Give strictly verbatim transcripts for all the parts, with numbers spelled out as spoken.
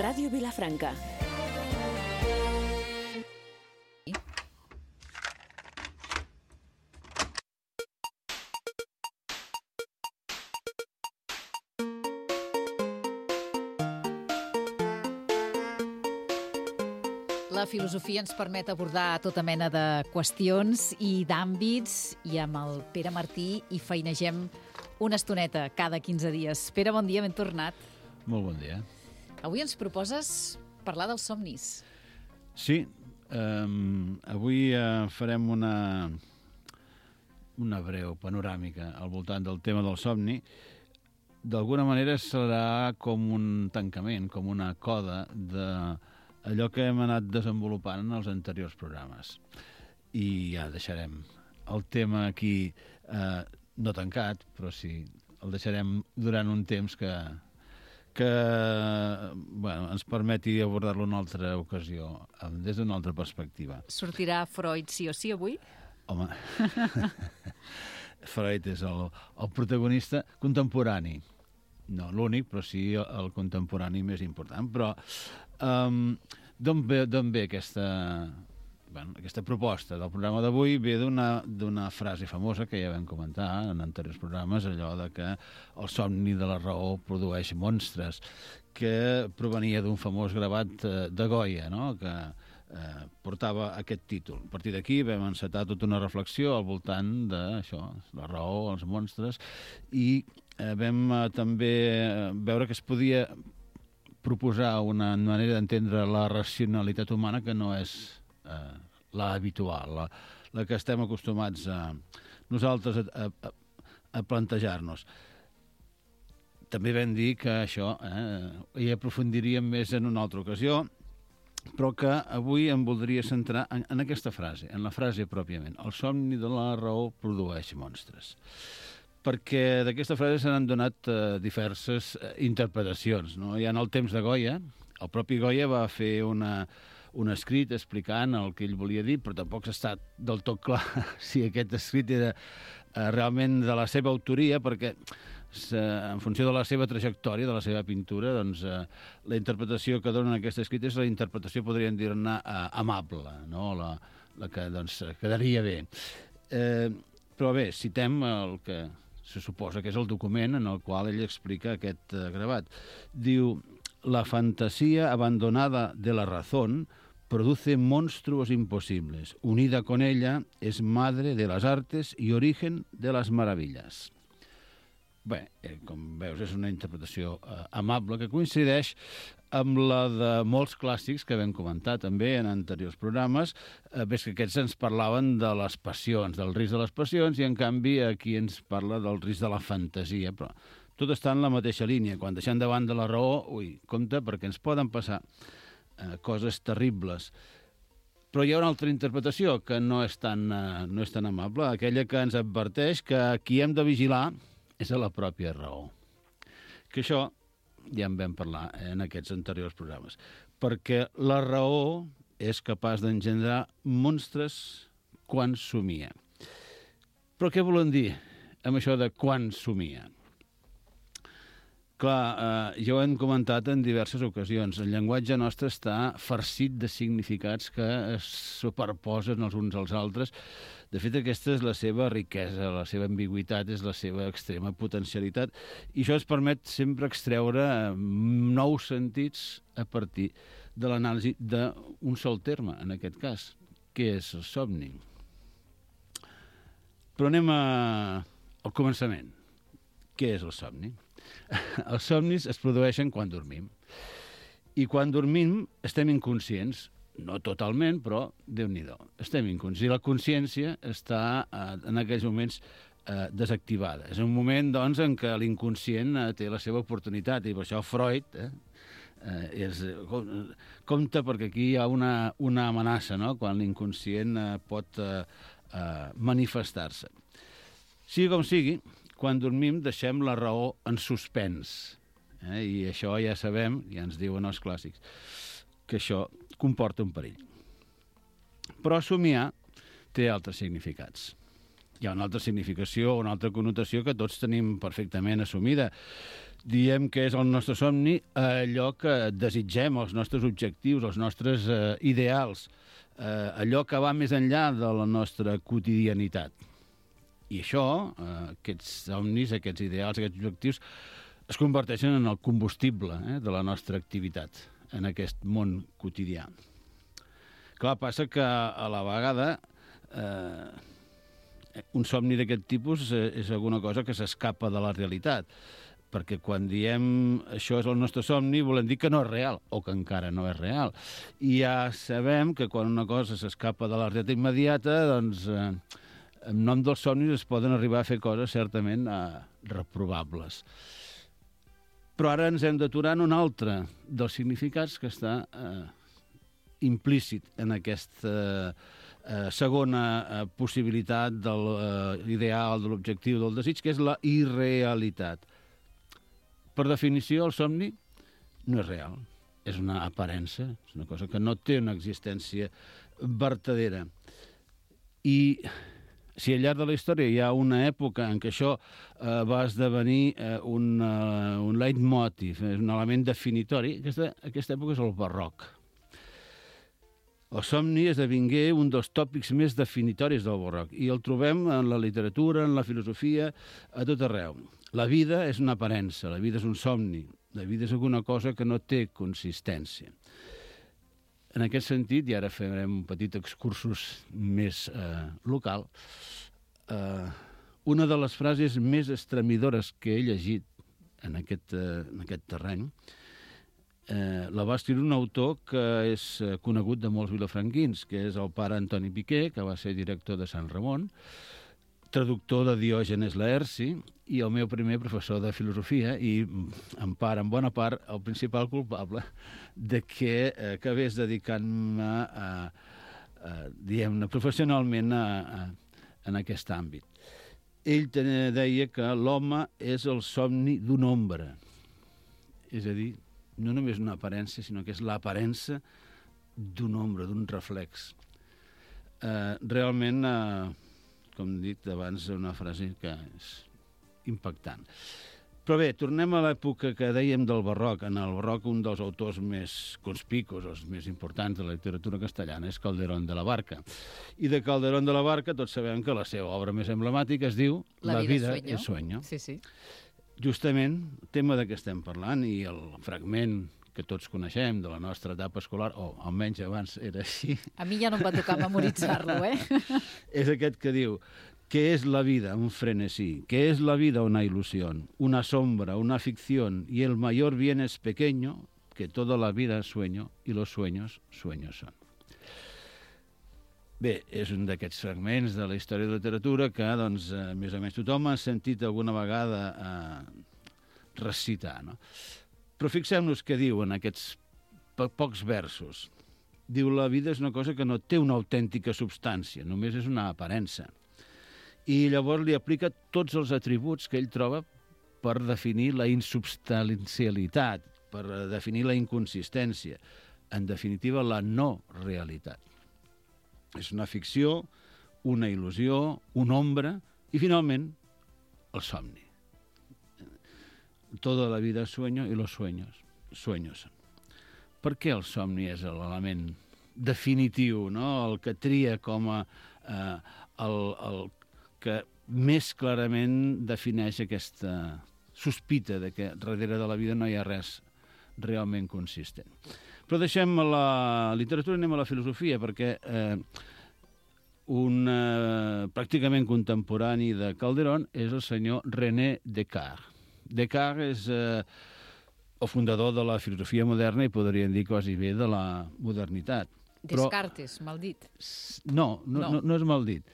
Ràdio Vilafranca. La filosofia ens permet abordar tota mena de qüestions i d'àmbits, i amb el Pere Martí hi feinegem una estoneta cada quinze dies. Pere, bon dia, ben tornat. Molt bon dia. Avui ens proposes parlar dels somnis. Sí, um, avui uh, farem una, una breu panoràmica al voltant del tema del somni. D'alguna manera serà com un tancament, com una coda de allò que hem anat desenvolupant en els anteriors programes. I ja deixarem el tema aquí, eh, no tancat, però sí, el deixarem durant un temps que, que bueno, ens permeti abordar-lo en una altra ocasió, des d'una altra perspectiva. Sortirà Freud sí o sí avui? Home, Freud és el, el protagonista contemporani. No l'únic, però sí el contemporani més important. Però um, d'on ve, d'on ve aquesta, bueno, aquesta proposta del programa d'avui? Ve d'una d'una frase famosa que ja vam comentar en anteriors programes, allò de que el somni de la raó produeix monstres, que provenia d'un famós gravat de Goya, no?, que eh, portava aquest títol. A partir d'aquí vam encetar tota una reflexió al voltant d'això, la raó, els monstres, i eh, vam eh, també veure que es podia proposar una manera d'entendre la racionalitat humana que no és eh, la habitual, la, la que estem acostumats a nosaltres a, a, a plantejar-nos. També vam dir que això eh, hi aprofundiríem més en una altra ocasió, però que avui em voldria centrar en, en aquesta frase, en la frase pròpiament. El somni de la raó produeix monstres. Perquè d'aquesta frase se n'han donat eh, diverses eh, interpretacions, no? Ja en el temps de Goya, el propi Goya va fer una, un escrit explicant el que ell volia dir, però tampoc s'ha estat del tot clar si aquest escrit era eh, realment de la seva autoria, perquè en funció de la seva trajectòria, de la seva pintura, doncs eh, la interpretació que donen aquest escrit és la interpretació, podríem dir-ne, eh, amable, no? La, la que doncs, quedaria bé. Eh, però bé, citem el que se suposa que és el document en el qual ell explica aquest eh, gravat. Diu: la fantasía abandonada de la razón produce monstruos imposibles. Unida con ella es madre de las artes y origen de las maravillas. Bé, eh, com veus, és una interpretació eh, amable que coincideix amb la de molts clàssics que vam comentar també en anteriors programes. Eh, ves que aquests ens parlaven de les passions, del risc de les passions, i en canvi aquí ens parla del risc de la fantasia, però tot està en la mateixa línia. Quan deixem davant de la raó, ui, compte, perquè ens poden passar eh, coses terribles. Però hi ha una altra interpretació que no és tan, eh, no és tan amable, aquella que ens adverteix que qui hem de vigilar és a la pròpia raó. Que això ja en vam parlar en aquests anteriors programes. Perquè la raó és capaç d'engendrar monstres quan somia. Però què volen dir amb això de quan somia? Clar, eh, ja ho hem comentat en diverses ocasions. El llenguatge nostre està farcit de significats que es superposen els uns als altres. De fet, aquesta és la seva riquesa, la seva ambigüitat, és la seva extrema potencialitat, i això ens permet sempre extreure nous sentits a partir de l'anàlisi d'un sol terme, en aquest cas, que és el somni. Però anem a... al començament. Què és el somni? Els somnis es produeixen quan dormim. I quan dormim estem inconscients. No totalment, però Déu-n'hi-do. Estem inconscients. La consciència està eh, en aquells moments eh, desactivada. És un moment, doncs, en què l'inconscient eh, té la seva oportunitat, i per això Freud eh, eh, és, compte, perquè aquí hi ha una, una amenaça, no?, quan l'inconscient eh, pot eh, eh, manifestar-se. Sigui com sigui, quan dormim deixem la raó en suspens. Eh, I això ja sabem, ja ens diuen els clàssics, que això comporta un perill. Però somiar té altres significats. Hi ha una altra significació, una altra connotació que tots tenim perfectament assumida. diem que és el nostre somni allò que desitgem, els nostres objectius, els nostres eh, ideals, eh, allò que va més enllà de la nostra quotidianitat. I això, eh, aquests somnis, aquests ideals, aquests objectius, es converteixen en el combustible eh, de la nostra activitat en aquest món quotidià. Clar, passa que a la vegada eh, un somni d'aquest tipus és alguna cosa que s'escapa de la realitat, perquè quan diem això és el nostre somni volem dir que no és real, o que encara no és real. I ja sabem que quan una cosa s'escapa de la realitat immediata, doncs eh, en nom dels somnis es poden arribar a fer coses certament eh, reprovables. Però ara ens hem d'aturar en un altre dels significats que està eh, implícit en aquesta eh, segona eh, possibilitat de l'ideal, de l'objectiu, del desig, que és la irrealitat. Per definició, el somni no és real, és una aparença, és una cosa que no té una existència vertadera. I si al llarg de la història hi ha una època en què això eh, va esdevenir eh, un, uh, un leitmotiv, és un element definitori, aquesta, aquesta època és el barroc. El somni esdevingué un dels tòpics més definitoris del barroc i el trobem en la literatura, en la filosofia, a tot arreu. La vida és una aparença, la vida és un somni, la vida és alguna cosa que no té consistència. En aquest sentit, i ara farem un petit excursus més eh, local, eh, una de les frases més estremidores que he llegit en aquest, eh, en aquest terreny eh, la va escriure un autor que és conegut de molts vilafranquins, que és el pare Antoni Piqué, que va ser director de Sant Ramon, traductor de Diògenes Laerci i el meu primer professor de filosofia i, en part, en bona part, el principal culpable de que eh, acabés dedicant-me a, a, diguem-ne, professionalment a, a, en aquest àmbit. Ell deia que l'home és el somni d'una ombra. És a dir, no només una aparença, sinó que és l'aparença d'una ombra, d'un reflex. Eh, realment... Eh, com he dit abans, una frase que és impactant. Però bé, tornem a l'època que dèiem del barroc. En el barroc, un dels autors més conspicus, els més importants de la literatura castellana, és Calderón de la Barca. I de Calderón de la Barca tots sabem que la seva obra més emblemàtica es diu La, la vida, vida és sueño. Sí, sí. Justament, tema de què estem parlant, i el fragment que tots coneixem de la nostra etapa escolar, o almenys abans era així. A mi ja no em va tocar memoritzar-lo, eh? És aquest que diu: ¿qué es la vida? Un frenesí. ¿Qué es la vida? Una ilusión. Una sombra, una ficción. Y el mayor bien es pequeño, que toda la vida es sueño, y los sueños, sueños son. Bé, és un d'aquests fragments de la història de la literatura que, doncs, eh, més o menys tothom ha sentit alguna vegada eh, recitar, no? Però fixem-nos què diu en aquests po pocs versos. Diu, la vida és una cosa que no té una autèntica substància, només és una aparença. I llavors li aplica tots els atributs que ell troba per definir la insubstancialitat, per definir la inconsistència, en definitiva, la no realitat. És una ficció, una il·lusió, una ombra i, finalment, el somni. Toda la vida es sueño y los sueños, sueños. Per què el somni és l'element definitiu, no? El que tria com a eh, el, el que més clarament defineix aquesta sospita de que darrere de la vida no hi ha res realment consistent. Però deixem la literatura i anem a la filosofia, perquè eh, un eh, pràcticament contemporani de Calderón és el senyor René Descartes. Descartes és eh, el fundador de la filosofia moderna i podríem dir quasi bé de la modernitat. Descartes, Però, mal dit. No, no, no. no, no és mal dit.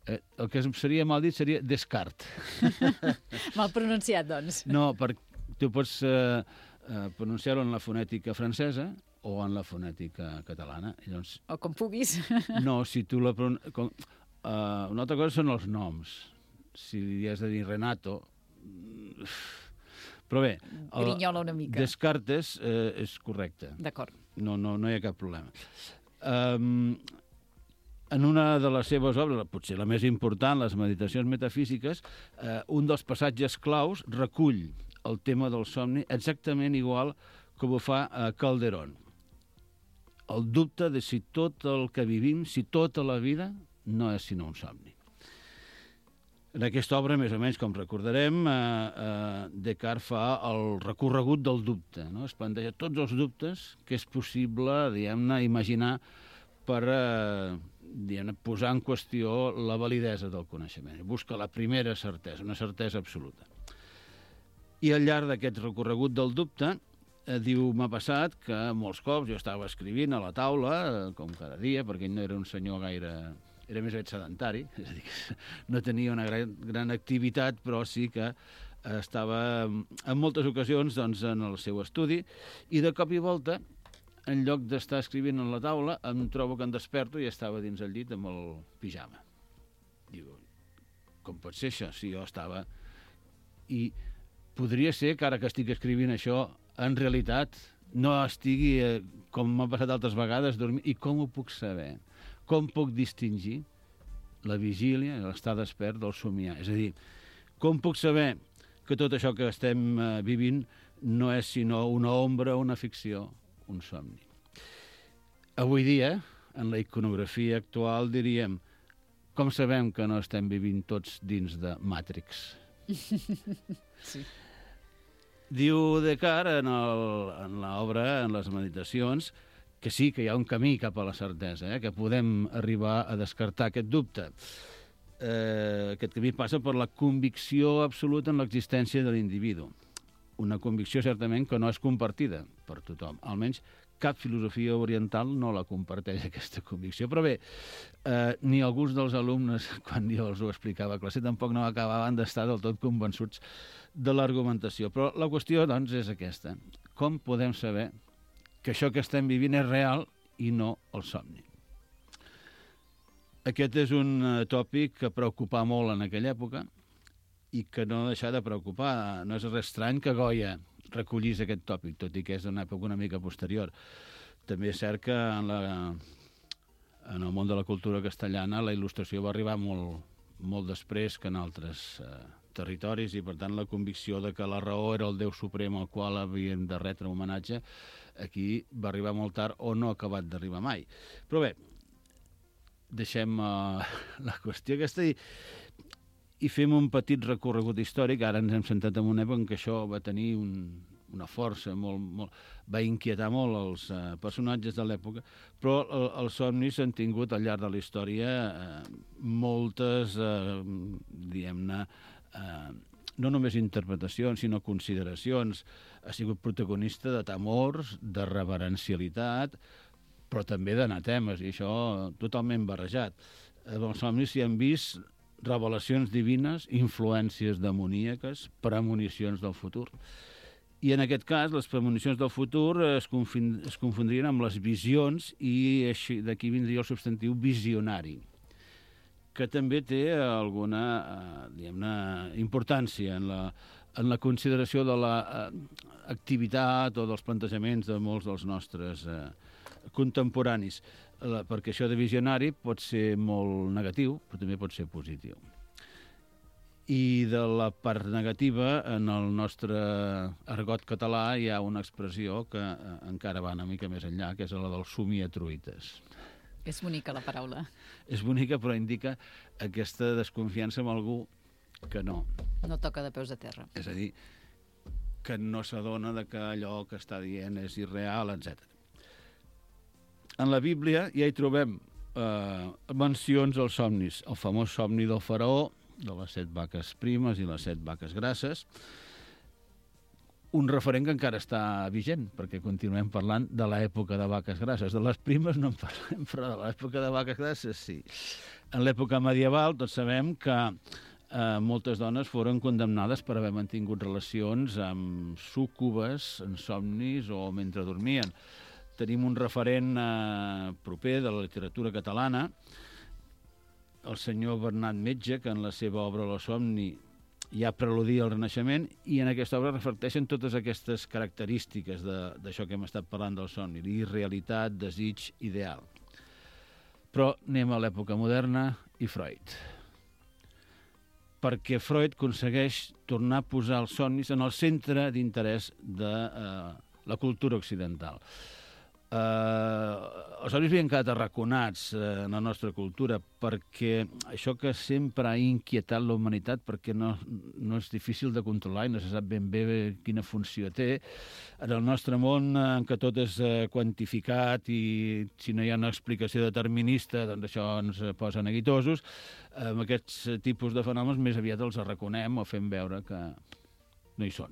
Eh, el que seria mal dit seria Descartes. Mal pronunciat, doncs. No, perquè tu pots eh, eh, pronunciar-ho en la fonètica francesa o en la fonètica catalana. I doncs, o com puguis. No, si tu la... Com, eh, una altra cosa són els noms. Si li has de dir Renato... Però bé, grinyola una mica. Descartes eh, és correcte. D'acord. No, no, no hi ha cap problema. Um, en una de les seves obres, potser la més important, les Meditacions metafísiques, eh, un dels passatges claus recull el tema del somni exactament igual com ho fa a Calderón. El dubte de si tot el que vivim, si tota la vida, no és sinó un somni. En aquesta obra, més o menys, com recordarem, eh, eh, Descartes fa el recorregut del dubte, no? Es planteja tots els dubtes que és possible, diguem-ne, imaginar per eh, diguem-ne, posar en qüestió la validesa del coneixement. Busca la primera certesa, una certesa absoluta. I al llarg d'aquest recorregut del dubte, eh, diu, m'ha passat que molts cops jo estava escrivint a la taula, eh, com cada dia, perquè ell no era un senyor gaire... era més aviat sedentari, és a dir, que no tenia una gran, gran activitat, però sí que estava en moltes ocasions doncs, en el seu estudi, i de cop i volta, en lloc d'estar escrivint a la taula, em trobo que em desperto i estava dins el llit amb el pijama. Diu, com pot ser això? Si jo estava... I podria ser que ara que estic escrivint això, en realitat no estigui, eh, com m'ha passat altres vegades, dormint. I com ho puc saber? Com puc distingir la vigília, l'estar despert, del somiar? És a dir, com puc saber que tot això que estem eh, vivint no és sinó una ombra, una ficció, un somni? Avui dia, en la iconografia actual, diríem, com sabem que no estem vivint tots dins de Matrix? Sí. Diu Descartes en, el, en l'obra, en les meditacions, que sí, que hi ha un camí cap a la certesa, eh? Que podem arribar a descartar aquest dubte. Eh, aquest camí passa per la convicció absoluta en l'existència de l'individu. Una convicció, certament, que no és compartida per tothom. Almenys cap filosofia oriental no la comparteix, aquesta convicció. Però bé, eh, ni alguns dels alumnes, quan jo els ho explicava a classe, tampoc no acabaven d'estar del tot convençuts de l'argumentació. Però la qüestió, doncs, és aquesta. Com podem saber que això que estem vivint és real i no el somni? Aquest és un tòpic que preocupava molt en aquella època i que no deixa de preocupar. No és res estrany que Goya recollís aquest tòpic, tot i que és d'una època una mica posterior. També és cert que en, la, en el món de la cultura castellana la il·lustració va arribar molt, molt després que en altres eh, territoris, i per tant la convicció de que la raó era el Déu suprem al qual havíem de retre homenatge aquí va arribar molt tard o no ha acabat d'arribar mai. Però bé, deixem uh, la qüestió aquesta i, i fem un petit recorregut històric. Ara ens hem sentat en una època en què això va tenir un, una força, molt, molt, va inquietar molt els uh, personatges de l'època, però el, els somnis han tingut al llarg de la història uh, moltes, uh, diguem-ne, uh, no només interpretacions, sinó consideracions. Ha sigut protagonista de temors, de reverencialitat, però també d'anatemes, i això totalment barrejat. En els somnis s'hi han vist revelacions divines, influències demoníaques, premonicions del futur. I en aquest cas, les premonicions del futur es, confin es confondrien amb les visions, i d'aquí vindria el substantiu visionari, que també té alguna eh, diguem-ne, importància en la, en la consideració de l'activitat eh, o dels plantejaments de molts dels nostres eh, contemporanis, la, perquè això de visionari pot ser molt negatiu, però també pot ser positiu. I de la part negativa, en el nostre argot català hi ha una expressió que eh, encara va una mica més enllà, que és la del somiatruites. És bonica la paraula. És bonica, però indica aquesta desconfiança amb algú que no. No toca de peus a terra. És a dir, que no s'adona de que allò que està dient és irreal, etcètera. En la Bíblia ja hi trobem eh, mencions als somnis. El famós somni del faraó, de les set vaques primes i les set vaques grasses, un referent que encara està vigent, perquè continuem parlant de l'època de vaques grasses. De les primes no en parlem, però de l'època de vaques grasses sí. En l'època medieval tots sabem que eh, moltes dones foren condemnades per haver mantingut relacions amb súcubes, en somnis o mentre dormien. Tenim un referent eh, proper de la literatura catalana, el senyor Bernat Metge, que en la seva obra La somni ja preludia el Renaixement, i en aquesta obra reflecteixen totes aquestes característiques d'això que hem estat parlant del somni, irrealitat, desig, ideal. Però anem a l'època moderna i Freud. perquè Freud aconsegueix tornar a posar els somnis en el centre d'interès de eh, la cultura occidental. Eh, els somnis havien quedat arraconats eh, en la nostra cultura perquè això que sempre ha inquietat la humanitat, perquè no, no és difícil de controlar i no se sap ben bé quina funció té. En el nostre món, en què tot és eh, quantificat i si no hi ha una explicació determinista, doncs això ens posa neguitosos, eh, amb aquests tipus de fenòmens més aviat els arraconem o fem veure que no hi són.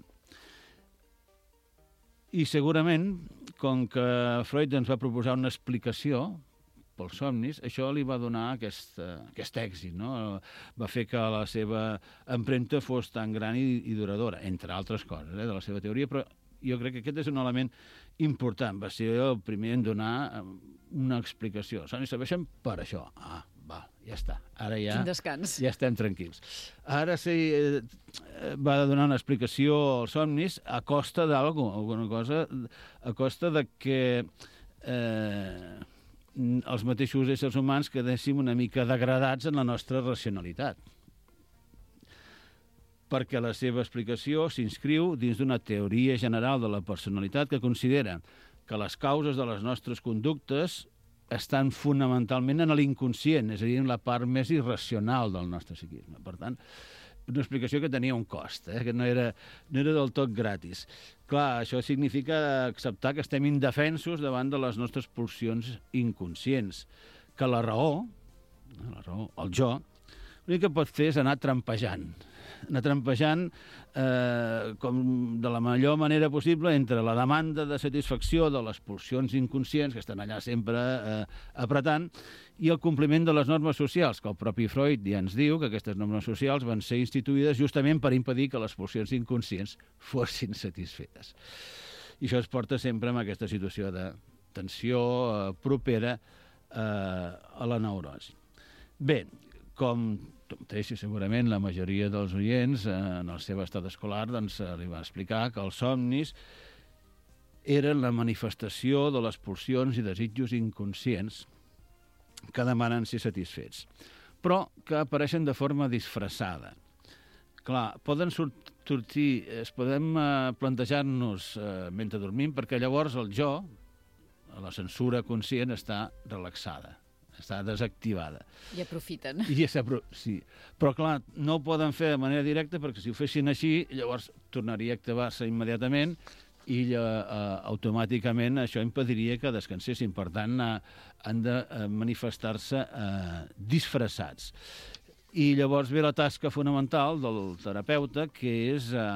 I segurament, com que Freud ens va proposar una explicació pels somnis, això li va donar aquest, aquest èxit, no? Va fer que la seva empremta fos tan gran i, i duradora, entre altres coses, eh, de la seva teoria, però jo crec que aquest és un element important. Va ser el primer en donar una explicació. Els somnis serveixen per això. Ah, va, ja està. Ara ja, Quin descans. ja estem tranquils. Ara sí, eh, va donar una explicació als somnis a costa d'alguna alguna cosa, a costa de que eh, els mateixos éssers humans quedéssim una mica degradats en la nostra racionalitat. Perquè la seva explicació s'inscriu dins d'una teoria general de la personalitat que considera que les causes de les nostres conductes estan fonamentalment en l'inconscient, és a dir, en la part més irracional del nostre psiquisme. Per tant, una explicació que tenia un cost, eh? que no era, no era del tot gratis. Clar, això significa acceptar que estem indefensos davant de les nostres pulsions inconscients, que la raó, la raó, el jo, l'únic que pot fer és anar trampejant, anar trampejant eh, com de la millor manera possible entre la demanda de satisfacció de les pulsions inconscients, que estan allà sempre eh, apretant, i el compliment de les normes socials, que el propi Freud ja ens diu que aquestes normes socials van ser instituïdes justament per impedir que les pulsions inconscients fossin satisfetes. I això es porta sempre en aquesta situació de tensió eh, propera eh, a la neurosi. Bé, com mateix, segurament la majoria dels oients eh, en el seu estat escolar doncs, eh, li va explicar que els somnis eren la manifestació de les pulsions i desitjos inconscients que demanen ser satisfets, però que apareixen de forma disfressada. Clar, poden sortir, es podem eh, plantejar-nos eh, mentre dormim, perquè llavors el jo, la censura conscient, està relaxada, està desactivada. I aprofiten. I sí. Però, clar, no ho poden fer de manera directa, perquè si ho fessin així, llavors tornaria a activar-se immediatament i eh, automàticament això impediria que descansessin. Per tant, eh, han de eh, manifestar-se eh, disfressats. I llavors ve la tasca fonamental del terapeuta, que és eh,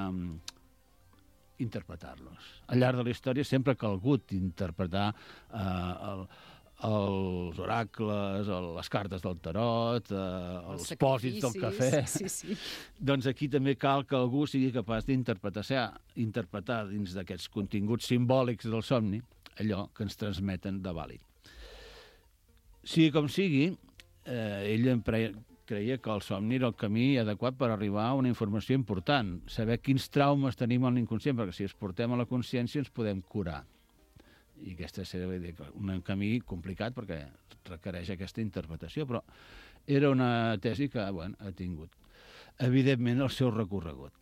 interpretar-los. Al llarg de la història sempre ha calgut interpretar eh, el, els oracles, les cartes del tarot, eh, els, els pòsits del cafè. Sí, sí. Doncs aquí també cal que algú sigui capaç d'interpretar interpretar dins d'aquests continguts simbòlics del somni allò que ens transmeten de vàlid. Sigui com sigui, eh, ell em pre creia que el somni era el camí adequat per arribar a una informació important, saber quins traumes tenim en l'inconscient, perquè si els portem a la consciència ens podem curar. I aquesta és un camí complicat perquè requereix aquesta interpretació, però era una tesi que bueno, ha tingut, evidentment, el seu recorregut.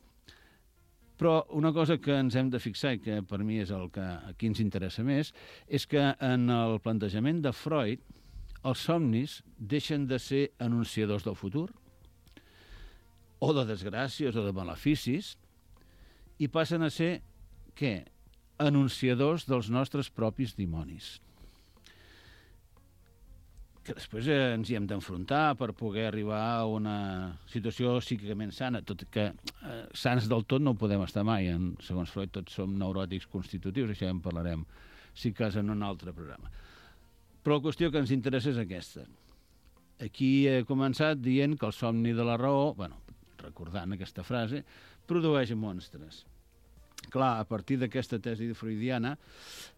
Però una cosa que ens hem de fixar, i que per mi és el que aquí ens interessa més, és que en el plantejament de Freud els somnis deixen de ser anunciadors del futur, o de desgràcies o de maleficis, i passen a ser, què? Anunciadors dels nostres propis dimonis. Que després eh, ens hi hem d'enfrontar per poder arribar a una situació psíquicament sana, tot que eh, sants del tot no ho podem estar mai. En, segons Freud, tots som neuròtics constitutius, això ja en parlarem, si cas, en un altre programa. Però la qüestió que ens interessa és aquesta. Aquí he començat dient que el somni de la raó, bueno, recordant aquesta frase, produeix monstres. Clar, a partir d'aquesta tesi freudiana,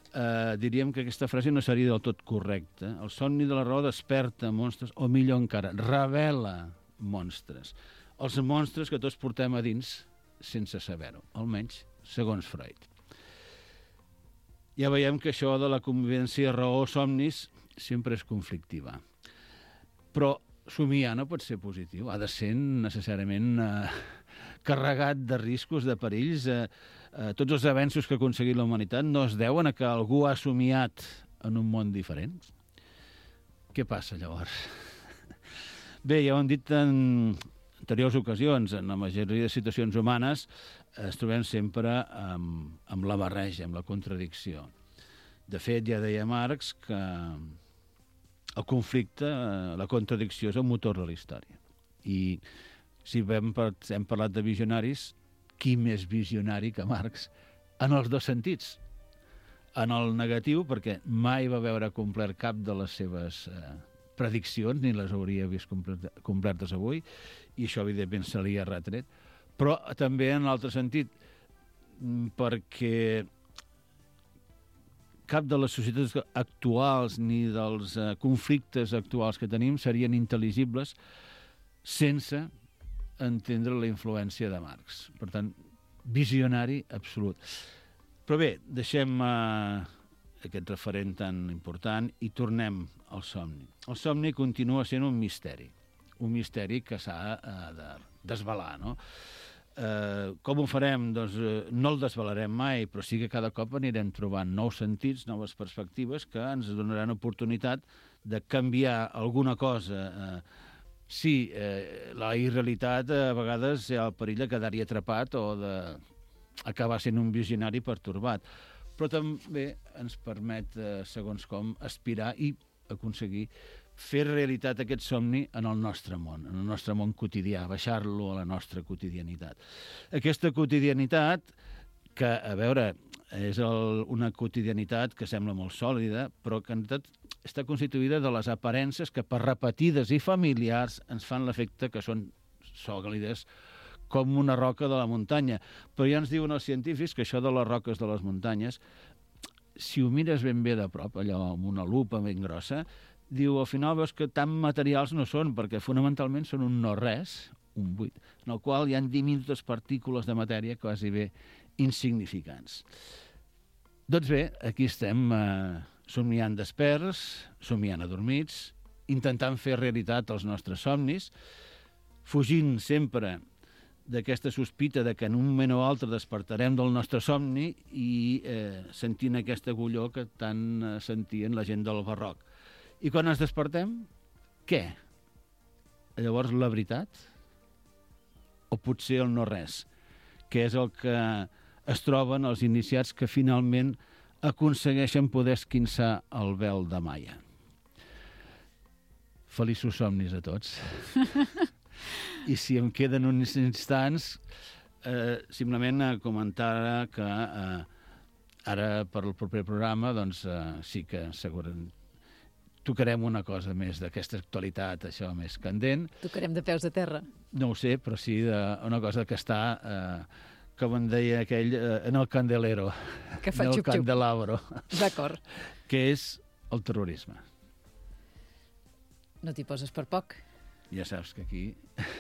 eh, diríem que aquesta frase no seria del tot correcta. El somni de la raó desperta monstres, o millor encara, revela monstres. Els monstres que tots portem a dins sense saber-ho, almenys segons Freud. Ja veiem que això de la convivència raó-somnis sempre és conflictiva. Però somiar no pot ser positiu, ha de ser necessàriament eh, carregat de riscos, de perills. Eh, eh, tots els avenços que ha aconseguit la humanitat no es deuen a que algú ha somiat en un món diferent. Què passa, llavors? Bé, ja ho hem dit en anteriors ocasions, en la majoria de situacions humanes es trobem sempre amb, amb la barreja, amb la contradicció. De fet, ja deia Marx que el conflicte, la contradicció és el motor de la història. I si hem, hem parlat de visionaris, qui més visionari que Marx en els dos sentits? En el negatiu, perquè mai va veure complert cap de les seves eh, prediccions, ni les hauria vist complertes avui, i això, evidentment, se li ha retret. Però també en l'altre sentit, perquè cap de les societats actuals ni dels eh, conflictes actuals que tenim serien intel·ligibles sense entendre la influència de Marx. Per tant, visionari absolut. Però bé, deixem eh, aquest referent tan important i tornem al somni. El somni continua sent un misteri, un misteri que s'ha eh, de desvelar, no? Eh, com ho farem? Doncs eh, no el desvelarem mai, però sí que cada cop anirem trobant nous sentits, noves perspectives que ens donaran oportunitat de canviar alguna cosa. Eh, sí, eh, la irrealitat eh, a vegades hi ha el perill de quedar-hi atrapat o d'acabar sent un visionari pertorbat, però també ens permet, eh, segons com, aspirar i aconseguir fer realitat aquest somni en el nostre món, en el nostre món quotidià, baixar-lo a la nostra quotidianitat. Aquesta quotidianitat, que, a veure, és el, una quotidianitat que sembla molt sòlida, però que en tot està constituïda de les aparences que, per repetides i familiars, ens fan l'efecte que són sòlides com una roca de la muntanya. Però ja ens diuen els científics que això de les roques de les muntanyes, si ho mires ben bé de prop, allò amb una lupa ben grossa, diu, al final veus que tan materials no són, perquè fonamentalment són un no-res, un buit, en el qual hi ha diminutes partícules de matèria quasi bé insignificants. Doncs bé, aquí estem eh, somiant desperts, somiant adormits, intentant fer realitat els nostres somnis, fugint sempre d'aquesta sospita de que en un moment o altre despertarem del nostre somni i eh, sentint aquesta agulló que tant eh, sentien la gent del barroc. I quan ens despertem, què? Llavors, la veritat? O potser el no-res, que és el que es troben els iniciats que finalment aconsegueixen poder esquinçar el vel de Maia. Feliços somnis a tots. I si em queden uns instants, eh, simplement a comentar que eh, ara per al proper programa doncs, eh, sí que segurament tocarem una cosa més d'aquesta actualitat, això més candent. Tocarem de peus a terra. No ho sé, però sí una cosa que està, eh, com en deia aquell, eh, en el candelero, que fa en el xup-xup. candelabro. D'acord. Que és el terrorisme. No t'hi poses per poc. Ja saps que aquí...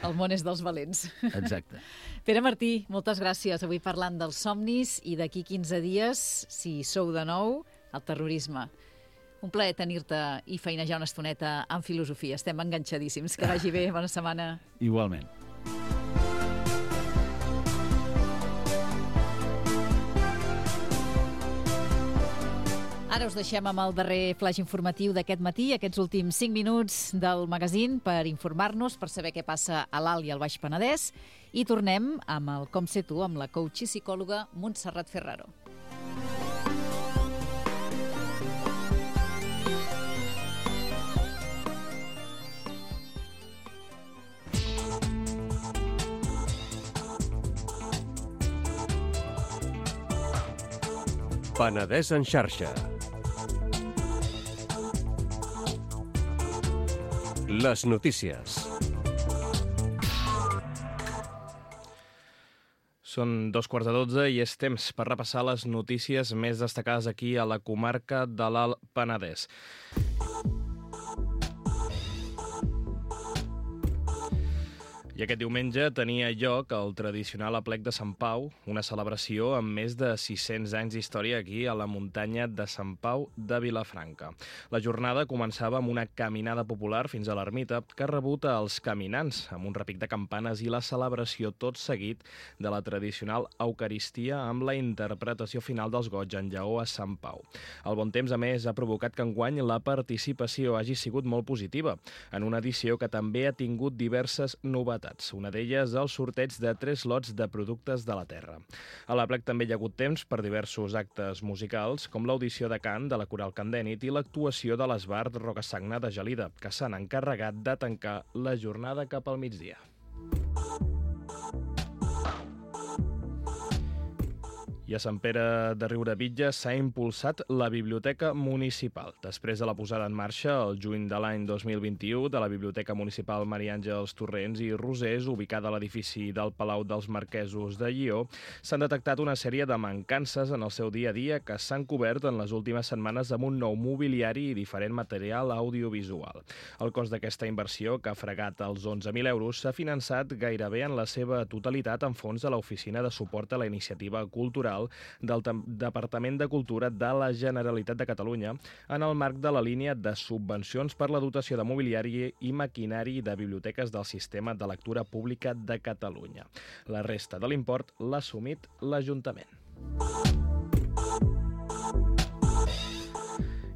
El món és dels valents. Exacte. Pere Martí, moltes gràcies. Avui parlant dels somnis i d'aquí quinze dies, si sou de nou, el terrorisme. Un plaer tenir-te i feinejar una estoneta en filosofia. Estem enganxadíssims. Que vagi bé. Bona setmana. Igualment. Ara us deixem amb el darrer flaix informatiu d'aquest matí, aquests últims cinc minuts del magazín per informar-nos, per saber què passa a l'Alt i al Baix Penedès. I tornem amb el Com sé tu, amb la coach i psicòloga Montserrat Ferraro. Penedès en xarxa. Les notícies. Són dos quarts de dotze i és temps per repassar les notícies més destacades aquí a la comarca de l'Alt Penedès. I aquest diumenge tenia lloc el tradicional aplec de Sant Pau, una celebració amb més de sis-cents anys d'història aquí a la muntanya de Sant Pau de Vilafranca. La jornada començava amb una caminada popular fins a l'ermita que rebuta els caminants amb un repic de campanes i la celebració tot seguit de la tradicional eucaristia amb la interpretació final dels goigs en lleó a Sant Pau. El bon temps, a més, ha provocat que enguany la participació hagi sigut molt positiva, en una edició que també ha tingut diverses novetats. Una d'elles, el sorteig de tres lots de productes de la terra. A l'aplec també hi ha hagut temps per diversos actes musicals, com l'audició de cant de la Coral Candènit i l'actuació de l'Esbart Rocasagna de Gelida, que s'han encarregat de tancar la jornada cap al migdia. I a Sant Pere de Riudebitlles s'ha impulsat la Biblioteca Municipal. Després de la posada en marxa, el juny de l'any dos mil vint-i-u, de la Biblioteca Municipal Maria Àngels Torrents i Rosés, ubicada a l'edifici del Palau dels Marquesos de Llió, s'han detectat una sèrie de mancances en el seu dia a dia que s'han cobert en les últimes setmanes amb un nou mobiliari i diferent material audiovisual. El cost d'aquesta inversió, que ha fregat els onze mil euros, s'ha finançat gairebé en la seva totalitat en fons de l'Oficina de Suport a la Iniciativa Cultural del Departament de Cultura de la Generalitat de Catalunya en el marc de la línia de subvencions per la dotació de mobiliari i maquinari de biblioteques del Sistema de Lectura Pública de Catalunya. La resta de l'import l'ha assumit l'Ajuntament.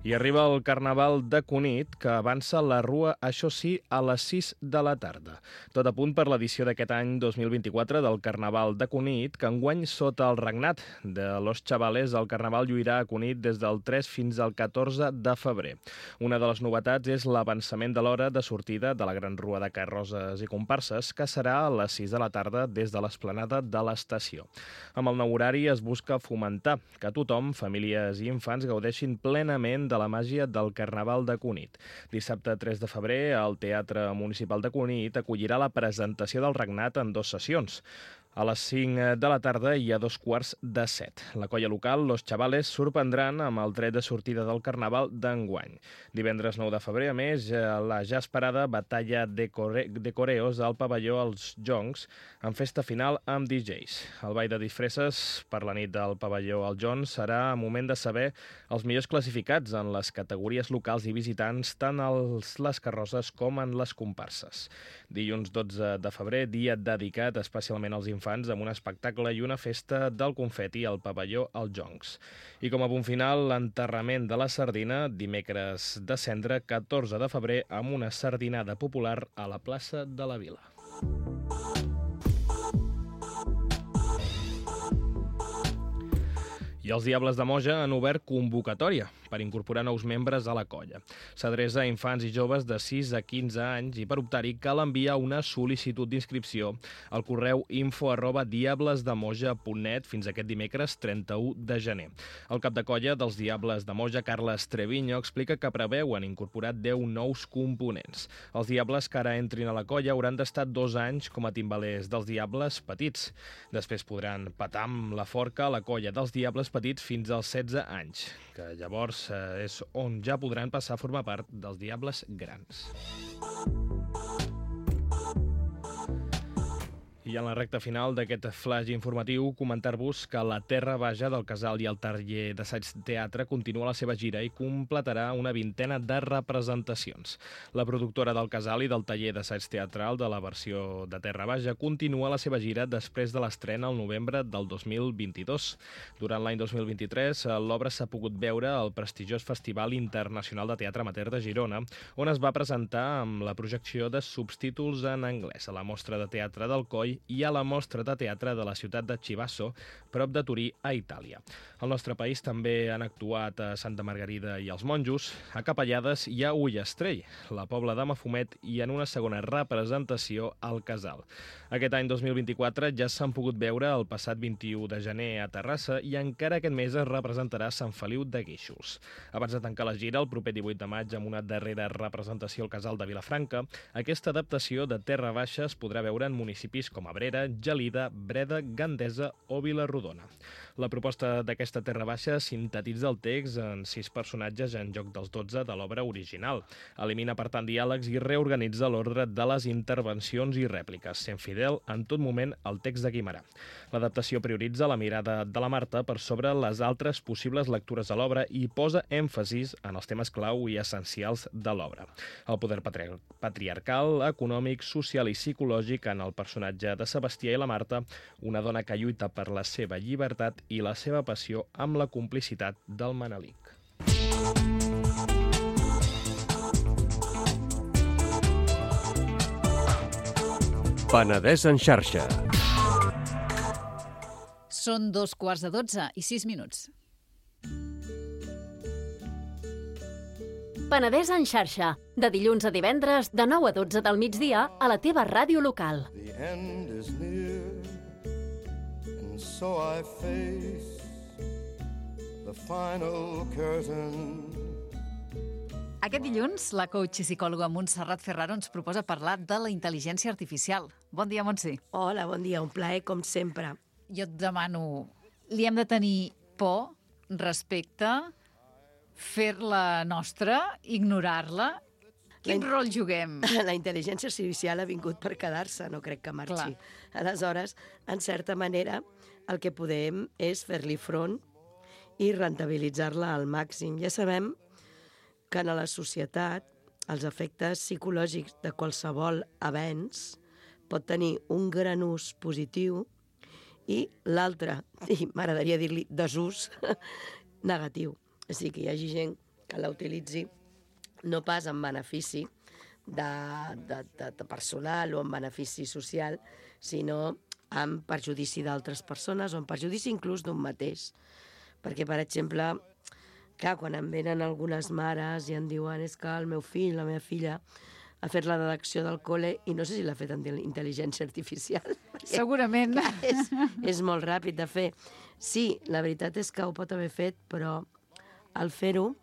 I arriba el Carnaval de Cunit, que avança la rua, això sí, a les sis de la tarda. Tot a punt per l'edició d'aquest any dos mil vint-i-quatre del Carnaval de Cunit, que enguany sota el regnat de Los Chavales, el Carnaval lluirà a Cunit des del tres fins al catorze de febrer. Una de les novetats és l'avançament de l'hora de sortida de la gran rua de carrosses i comparses, que serà a les sis de la tarda des de l'esplanada de l'estació. Amb el nou horari es busca fomentar que tothom, famílies i infants, gaudeixin plenament de la màgia del Carnaval de Cunit. Dissabte tres de febrer, el Teatre Municipal de Cunit acollirà la presentació del regnat en dues sessions. A les cinc de la tarda i a dos quarts de set. La colla local, Los Chavales, sorprendran amb el tret de sortida del Carnaval d'enguany. Divendres nou de febrer, a més, la ja esperada batalla de, core de coreos al pavelló als Joncs, amb festa final amb D Js. El ball de disfresses per la nit del pavelló als Joncs serà moment de saber els millors classificats en les categories locals i visitants, tant a les carrosses com en les comparses. Dilluns dotze de febrer, dia dedicat especialment als infants, amb un espectacle i una festa del confeti al pavelló als Joncs. I com a punt final, l'enterrament de la sardina, dimecres de cendre, catorze de febrer, amb una sardinada popular a la plaça de la Vila. I els Diables de Moja han obert convocatòria per incorporar nous membres a la colla. S'adreça a infants i joves de sis a quinze anys i per optar-hi cal enviar una sol·licitud d'inscripció al correu info arroba diablesdemoja punt net fins aquest dimecres trenta-u de gener. El cap de colla dels Diables de Moja, Carles Treviño, explica que preveuen incorporar deu nous components. Els Diables que ara entrin a la colla hauran d'estar dos anys com a timbalers dels Diables petits. Després podran petar amb la forca a la colla dels Diables petits fins als setze anys, que llavors eh, és on ja podran passar a formar part dels Diables grans. I en la recta final d'aquest flash informatiu, comentar-vos que la Terra Baja del Casal i el taller d'assaig teatre continua la seva gira i completarà una vintena de representacions. La productora del Casal i del taller d'assaig teatral de la versió de Terra Baja continua la seva gira després de l'estrena al novembre del dos mil vint-i-dos. Durant l'any dos mil vint-i-tres, l'obra s'ha pogut veure al prestigiós Festival Internacional de Teatre Amateur de Girona, on es va presentar amb la projecció de subtítols en anglès a la Mostra de Teatre del Coll i a la Mostra de Teatre de la ciutat de Chivasso, prop de Turí, a Itàlia. Al nostre país també han actuat a Santa Margarida i els Monjos, a Capellades i a Ullastrell, la Pobla de Mafumet, i en una segona representació al Casal. Aquest any dos mil vint-i-quatre ja s'han pogut veure el passat vint-i-u de gener a Terrassa i encara aquest mes es representarà a Sant Feliu de Guíxols. Abans de tancar la gira, el proper divuit de maig, amb una darrera representació al Casal de Vilafranca, aquesta adaptació de Terra Baixa es podrà veure en municipis com Abrera, Gelida, Breda, Gandesa o Vilarrodona. La proposta d'aquesta Terra Baixa sintetitza el text en sis personatges en lloc dels dotze de l'obra original. Elimina, per tant, diàlegs i reorganitza l'ordre de les intervencions i rèpliques, sent fidel en tot moment al text de Guimerà. L'adaptació prioritza la mirada de la Marta per sobre les altres possibles lectures a l'obra i posa èmfasis en els temes clau i essencials de l'obra. El poder patri patriarcal, econòmic, social i psicològic en el personatge de Sebastià i la Marta, una dona que lluita per la seva llibertat i la seva passió amb la complicitat del Manelic. Penedès en xarxa. Són dos quarts de dotze i sis minuts. Penedès en xarxa, de dilluns a divendres, de nou a dotze del migdia, a la teva ràdio local. The end is near, and so I face the final curtain. Aquest dilluns, la coach i psicòloga Montserrat Ferraro ens proposa parlar de la intel·ligència artificial. Bon dia, Montse. Hola, bon dia, un plaer com sempre. Jo et demano, li hem de tenir por, respecte, fer-la nostra, ignorar-la? Quin La in- rol juguem? La intel·ligència artificial ha vingut per quedar-se, no crec que marxi. Clar. Aleshores, en certa manera, el que podem és fer-li front i rentabilitzar-la al màxim. Ja sabem que en la societat els efectes psicològics de qualsevol avenç pot tenir un gran ús positiu i l'altre, i m'agradaria dir-li desús, negatiu. O sigui, que hi hagi gent que la utilitzi no pas en benefici de, de, de, de personal o en benefici social, sinó en perjudici d'altres persones o en perjudici inclús d'un mateix. Perquè, per exemple, clar, quan em venen algunes mares i em diuen és que el meu fill, la meva filla, ha fet la redacció del col·le i no sé si l'ha fet amb intel·ligència artificial. Segurament. Clar, és, és molt ràpid de fer. Sí, la veritat és que ho pot haver fet, però al fer-ho,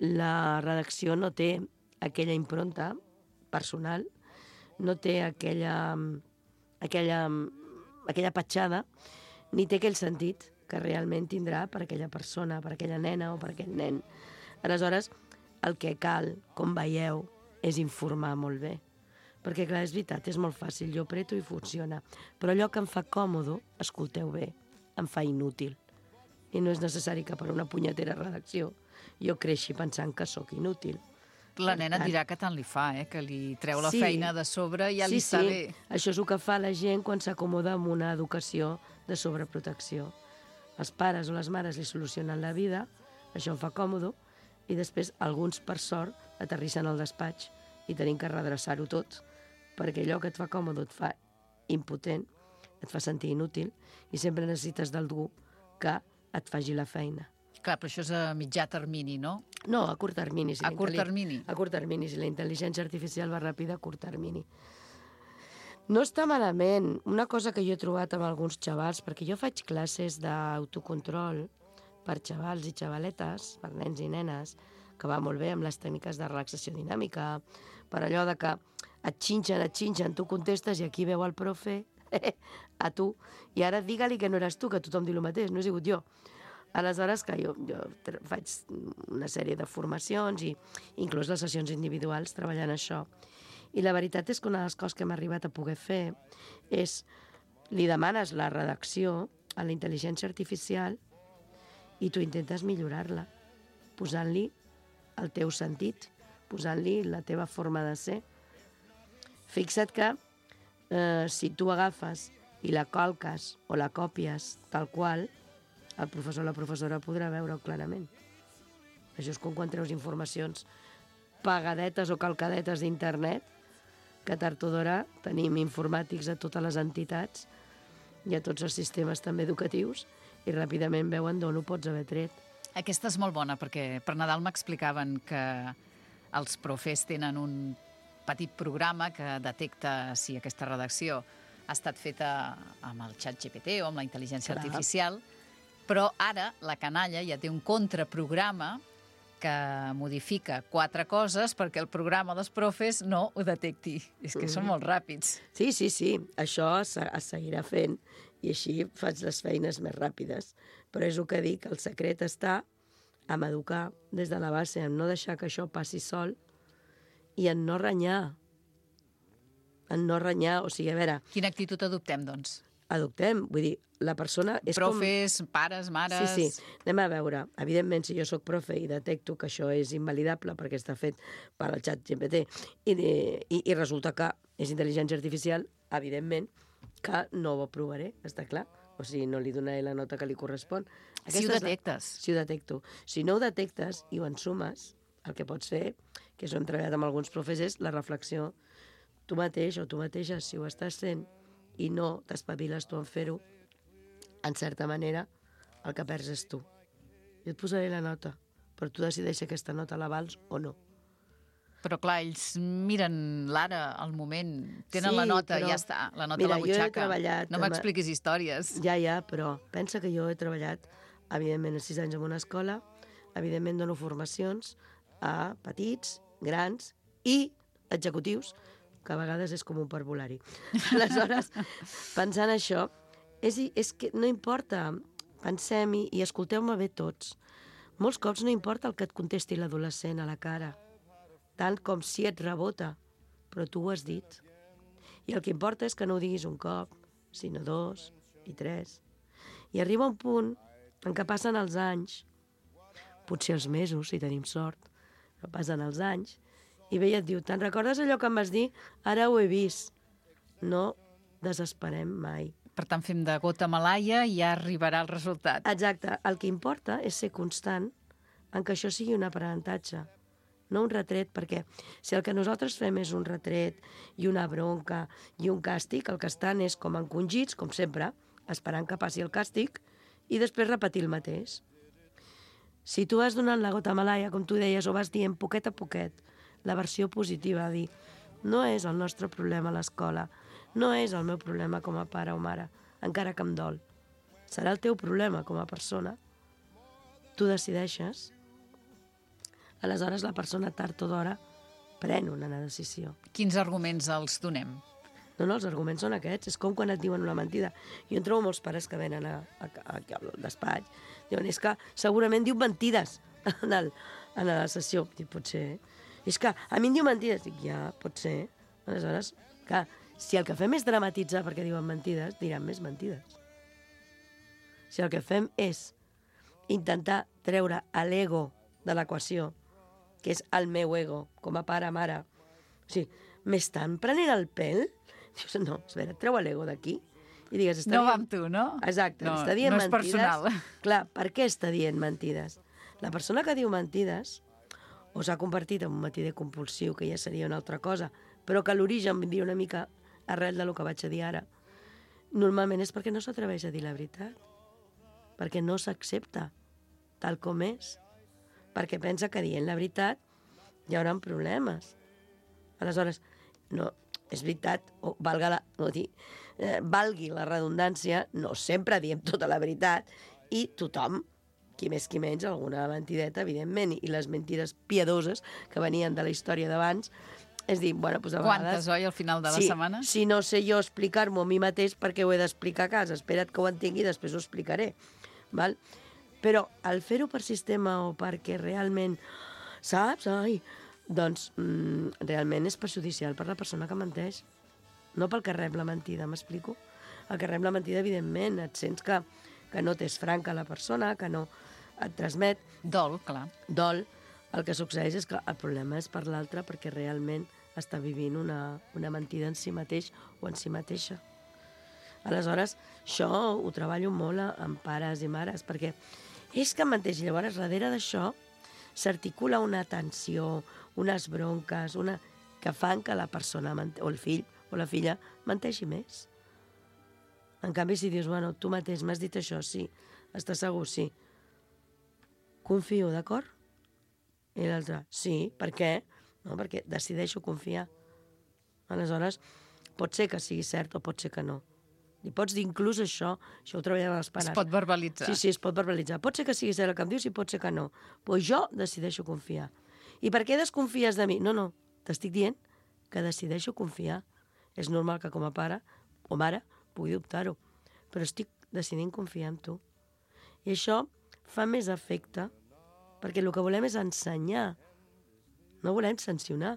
la redacció no té aquella impronta personal, no té aquella, aquella, aquella petjada, ni té aquell sentit que realment tindrà per aquella persona, per aquella nena o per aquell nen. Aleshores, el que cal, com veieu, és informar molt bé. Perquè, clar, és veritat, és molt fàcil, jo apreto i funciona. Però allò que em fa còmode, escolteu bé, em fa inútil. I no és necessari que per una punyetera redacció jo creixi pensant que sóc inútil. La nena et dirà que tant li fa, eh? Que li treu la Sí. feina de sobre i ja li Sí, està sí. bé. Això és el que fa la gent quan s'acomoda amb una educació de sobreprotecció. Els pares o les mares li solucionen la vida, això em fa còmode, i després alguns, per sort, aterrissen al despatx i tenim que redreçar-ho tot, perquè allò que et fa còmode et fa impotent, et fa sentir inútil, i sempre necessites d'algú que et faci la feina. Clar, però això és a mitjà termini, no? No, a curt termini. Si A la curt intel·li- termini. A curt termini, si la intel·ligència artificial va ràpida, a curt termini. No està malament. Una cosa que jo he trobat amb alguns xavals, perquè jo faig classes d'autocontrol per xavals i xavaletes, per nens i nenes, que va molt bé amb les tècniques de relaxació dinàmica, per allò de que et xinxen, et xinxen, tu contestes i aquí veu el profe a tu, i ara digue-li que no eres tu, que tothom diu el mateix, no he sigut jo. Aleshores, que jo, jo faig una sèrie de formacions i inclús les sessions individuals treballant això. I la veritat és que una de les coses que hem arribat a poder fer és, li demanes la redacció a la intel·ligència artificial i tu intentes millorar-la, posant-li el teu sentit, posant-li la teva forma de ser. Fixa't que eh, si tu agafes i la calques o la còpies tal qual, el professor o la professora podrà veure-ho clarament. Això és com quan treus informacions pagadetes o calcadetes d'internet, que tard o d'hora tenim informàtics a totes les entitats i a tots els sistemes també educatius i ràpidament veuen d'on ho pots haver tret. Aquesta és molt bona, perquè per Nadal m'explicaven que els profes tenen un petit programa que detecta si aquesta redacció ha estat feta amb el xat G P T o amb la intel·ligència Clar. artificial, però ara la canalla ja té un contraprograma que modifica quatre coses perquè el programa dels profes no ho detecti. És que són molt ràpids. Sí, sí, sí, això es, es seguirà fent i així faig les feines més ràpides. Però és el que dic, el secret està en educar des de la base, en no deixar que això passi sol i en no renyar. En no renyar, o sigui, a veure... Quina actitud adoptem, doncs? Adoptem, vull dir, la persona... És Profes, com... pares, mares... Sí, sí, anem a veure. Evidentment, si jo sóc profe i detecto que això és invalidable perquè està fet per al xat G P T i, i, i resulta que és intel·ligència artificial, evidentment que no ho aprovaré, està clar? O sigui, no li donaré la nota que li correspon. Aquesta si ho detectes. La... Si ho detecto. Si no ho detectes i ho ensumes, el que pots fer, que això hem treballat amb alguns profes, és la reflexió. Tu mateix o tu mateixa, si ho estàs fent i no t'espaviles tu en fer-ho, en certa manera, el que perds és tu. Jo et posaré la nota, però tu decideixes si aquesta nota la vals o no. Però clar, ells miren l'ara, al moment, tenen sí, la nota, però... ja està, la nota Mira, a la butxaca. Jo he treballat... No m'expliquis històries. Ja, ja, però pensa que jo he treballat, evidentment, a sis anys en una escola, evidentment dono formacions a petits, grans i executius, que a vegades és com un parvulari. Aleshores, pensant això, és, és que no importa, pensem-hi i escolteu-me bé tots. Molts cops no importa el que et contesti l'adolescent a la cara, tant com si et rebota, però tu ho has dit. I el que importa és que no ho diguis un cop, sinó dos i tres. I arriba un punt en què passen els anys, potser els mesos, si tenim sort, però passen els anys, i ve i et diu, te'n recordes allò que em vas dir? Ara ho he vist. No desesperem mai. Per tant, fem de gota malaia i ja arribarà el resultat. Exacte. El que importa és ser constant en que això sigui un aprenentatge, no un retret, perquè si el que nosaltres fem és un retret i una bronca i un càstig, el que estan és com encongits, com sempre, esperant que passi el càstig i després repetir el mateix. Si tu vas donant la gota malaia, com tu deies, o vas dient poquet a poquet, la versió positiva, dir, no és el nostre problema a l'escola, no és el meu problema com a pare o mare, encara que em dol. Serà el teu problema com a persona. Tu decideixes. Aleshores, la persona tard o d'hora pren una decisió. Quins arguments els donem? No, no, els arguments són aquests. És com quan et diuen una mentida. Jo en trobo molts pares que venen a, a, a, al despatx. Diuen, és que segurament diu mentides en, el, en la sessió. Dic, potser... És que a mi em diu mentides. Dic, ja, pot ser. Aleshores, clar, si el que fem és dramatitzar perquè diuen mentides, diran més mentides. Si el que fem és intentar treure l'ego de l'equació, que és el meu ego, com a pare, mare, o sigui, m'estan prenent el pèl? Dius, no, espera, treu l'ego d'aquí i digues... No dient... va amb tu, no? Exacte, no, està dient no és mentides. personal. Clar, per què està dient mentides? La persona que diu mentides o s'ha convertit en un mentider compulsiu, que ja seria una altra cosa, però que l'origen vindria una mica arrel del que vaig a dir ara, normalment és perquè no s'atreveix a dir la veritat, perquè no s'accepta tal com és, perquè pensa que dient la veritat hi haurà problemes. Aleshores, no, és veritat, o valga la, no dir, eh, valgui la redundància, no sempre diem tota la veritat i tothom, qui més qui menys, alguna mentideta, evidentment, i les mentides piadoses que venien de la història d'abans, és dir, bueno, doncs a Quantes, vegades... oi, al final de la sí, setmana? Si no sé jo explicar-m'ho a mi mateix, perquè ho he d'explicar a casa. Espera't que ho entengui i després ho explicaré. Val? Però al fer-ho per sistema o perquè realment, saps? Ai, doncs mm, realment és perjudicial per la persona que menteix. No pel que rep la mentida, m'explico? El que rep la mentida, evidentment, et sents que, que no t'és franca la persona, que no et transmet... Dol, clar. Dol. El que succeeix és que el problema és per l'altre perquè realment està vivint una, una mentida en si mateix o en si mateixa. Aleshores, això ho treballo molt amb pares i mares, perquè és que menteix. Llavors, darrere d'això s'articula una tensió, unes bronques, una... que fan que la persona, o el fill o la filla, menteixi més. En canvi, si dius, bueno, tu mateix m'has dit això, sí, estàs segur, sí. Confio, d'acord? I l'altre, sí, per què? No, perquè decideixo confiar. Aleshores, pot ser que sigui cert o pot ser que no. Li pots dir inclús això, això ho treballem a les pares. Es pot verbalitzar. Sí, sí, es pot verbalitzar. Pot ser que siguis el que em dius i pot ser que no. Però jo decideixo confiar. I per què desconfies de mi? No, no, t'estic dient que decideixo confiar. És normal que com a pare o mare pugui dubtar-ho, però estic decidint confiar en tu. I això fa més efecte perquè el que volem és ensenyar. No volem sancionar.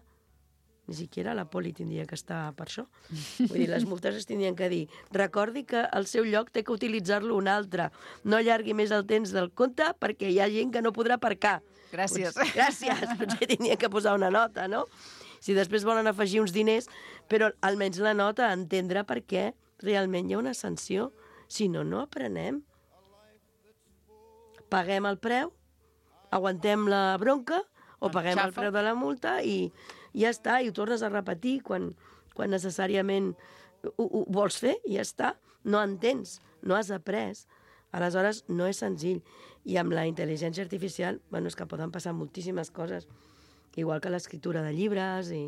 Ni siquiera la poli tindria que estar per això. Vull dir, les multes es tindrien que dir recordi que al seu lloc té que utilitzar-lo un altre. No allargui més el temps del compte perquè hi ha gent que no podrà aparcar. Gràcies. Potser, gràcies. Potser tindrien que posar una nota, no? Si després volen afegir uns diners, però almenys la nota, entendre per què realment hi ha una sanció. Si no, no aprenem. Paguem el preu, aguantem la bronca, o paguem el preu de la multa i ja està, i ho tornes a repetir quan, quan necessàriament ho, ho vols fer i ja està. No entens, no has après. Aleshores, no és senzill. I amb la intel·ligència artificial, bueno, és que poden passar moltíssimes coses, igual que l'escriptura de llibres i,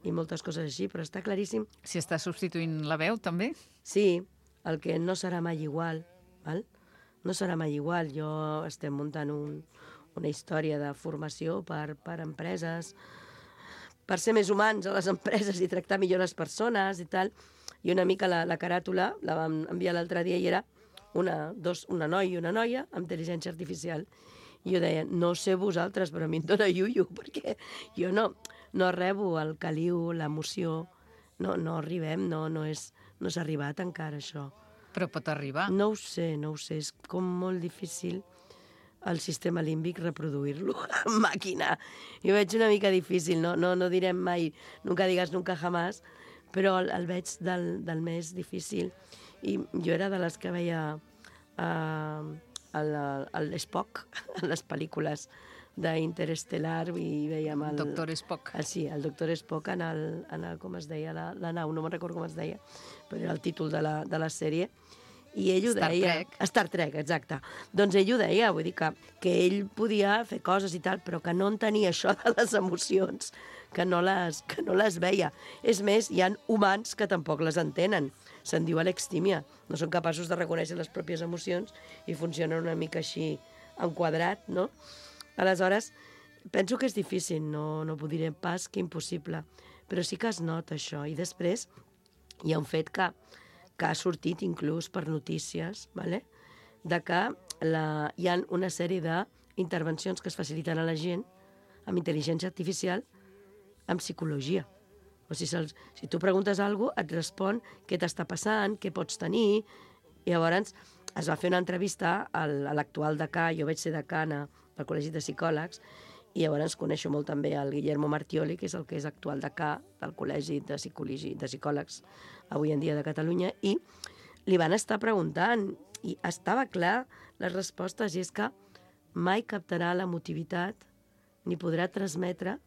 i moltes coses així, però està claríssim. Si està substituint la veu, també? Sí, el que no serà mai igual, val? No serà mai igual. Jo estem muntant un, una història de formació per, per empreses, per ser més humans a les empreses i tractar millor les persones i tal. I una mica la, la caràtula la vam enviar l'altre dia i era una, dos, una noia i una noia amb intel·ligència artificial. I jo deia, no sé vosaltres, però a mi em dóna iuiu, perquè jo no, no rebo el caliu, l'emoció, no, no arribem, no, no és, no s'ha arribat encara això. Però pot arribar. No ho sé, no ho sé, és com molt difícil el sistema límbic reproduir-lo en màquina. Jo veig una mica difícil, no, no, no direm mai nunca digas nunca jamás, però el, el veig del, del més difícil. I jo era de les que veia uh, l'Spock en les pel·lícules d'Interestelar i veiem el... Doctor Spock. El, sí, el Doctor Spock en el, en el com es deia, la, la nau, no me'n recordo com es deia, però era el títol de la, de la sèrie. I ell ho Star deia... Trek. Star Trek, exacte. Doncs ell ho deia, vull dir que, que ell podia fer coses i tal, però que no entenia això de les emocions, que no les, que no les veia. És més, hi ha humans que tampoc les entenen. Se'n diu alextímia. No són capaços de reconèixer les pròpies emocions i funcionen una mica així enquadrat, no? Aleshores, penso que és difícil, no, no ho diré pas que impossible, però sí que es nota això. I després hi ha un fet que, que ha sortit inclús per notícies, ¿vale? De que la, hi ha una sèrie d'intervencions que es faciliten a la gent amb intel·ligència artificial, amb psicologia. O sigui, si tu preguntes alguna cosa, et respon què t'està passant, què pots tenir. I llavors es va fer una entrevista a l'actual decà, jo vaig ser decana del Col·legi de Psicòlegs, i llavors coneixo molt també el Guillermo Martioli, que és el que és actual decà del Col·legi de, de Psicòlegs avui en dia de Catalunya, i li van estar preguntant, i estava clar les respostes, i és que mai captarà l'emotivitat ni podrà transmetre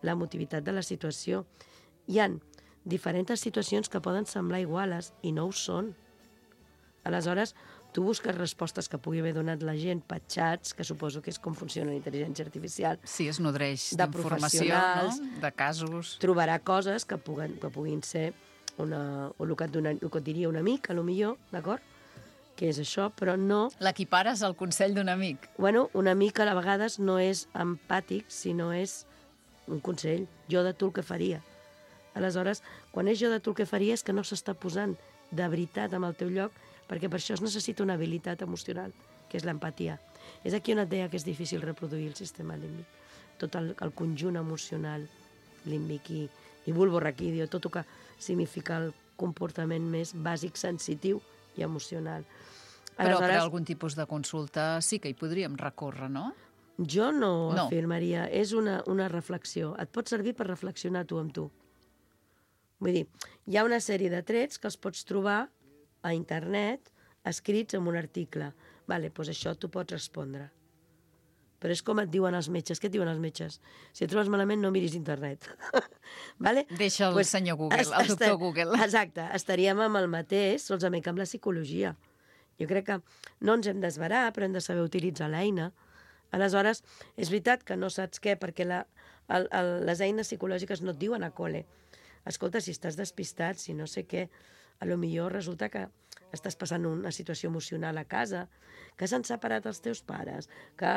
l'emotivitat de la situació. Hi ha diferents situacions que poden semblar iguales i no ho són. Aleshores, tu busques respostes que pugui haver donat la gent per xats, que suposo que és com funciona la intel·ligència artificial. Sí, es nodreix de d'informació, no? De casos. Trobarà coses que puguin, que puguin ser una, o el que, et dona, el que et diria un amic, a lo millor, d'acord? Que és això, però no... L'equipares al consell d'un amic. Bueno, un amic a vegades no és empàtic, sinó és un consell. Jo de tu el que faria. Aleshores, quan és jo de tu el que faria és que no s'està posant de veritat amb el teu lloc, perquè per això es necessita una habilitat emocional, que és l'empatia. És aquí on et deia que és difícil reproduir el sistema límbic. Tot el, el conjunt emocional límbic i, i bulborraquídeo, tot el que significa el comportament més bàsic, sensitiu i emocional. Però per algun tipus de consulta sí que hi podríem recórrer, no? Jo no, no. afirmaria. És una, una reflexió. Et pot servir per reflexionar tu amb tu. Vull dir, hi ha una sèrie de trets que els pots trobar a internet, escrits en un article. Vale, doncs això tu pots respondre. Però és com et diuen els metges. Què et diuen els metges? Si et trobes malament, no miris internet. Vale? Deixa el pues, senyor Google, el doctor Google. Exacte, estaríem amb el mateix, solament que amb la psicologia. Jo crec que no ens hem d'esverar, però hem de saber utilitzar l'eina. Aleshores, és veritat que no saps què, perquè la, el, el, les eines psicològiques no et diuen a col·le. Escolta, si estàs despistat, si no sé què, a lo millor resulta que estàs passant una situació emocional a casa, que s'han separat els teus pares, que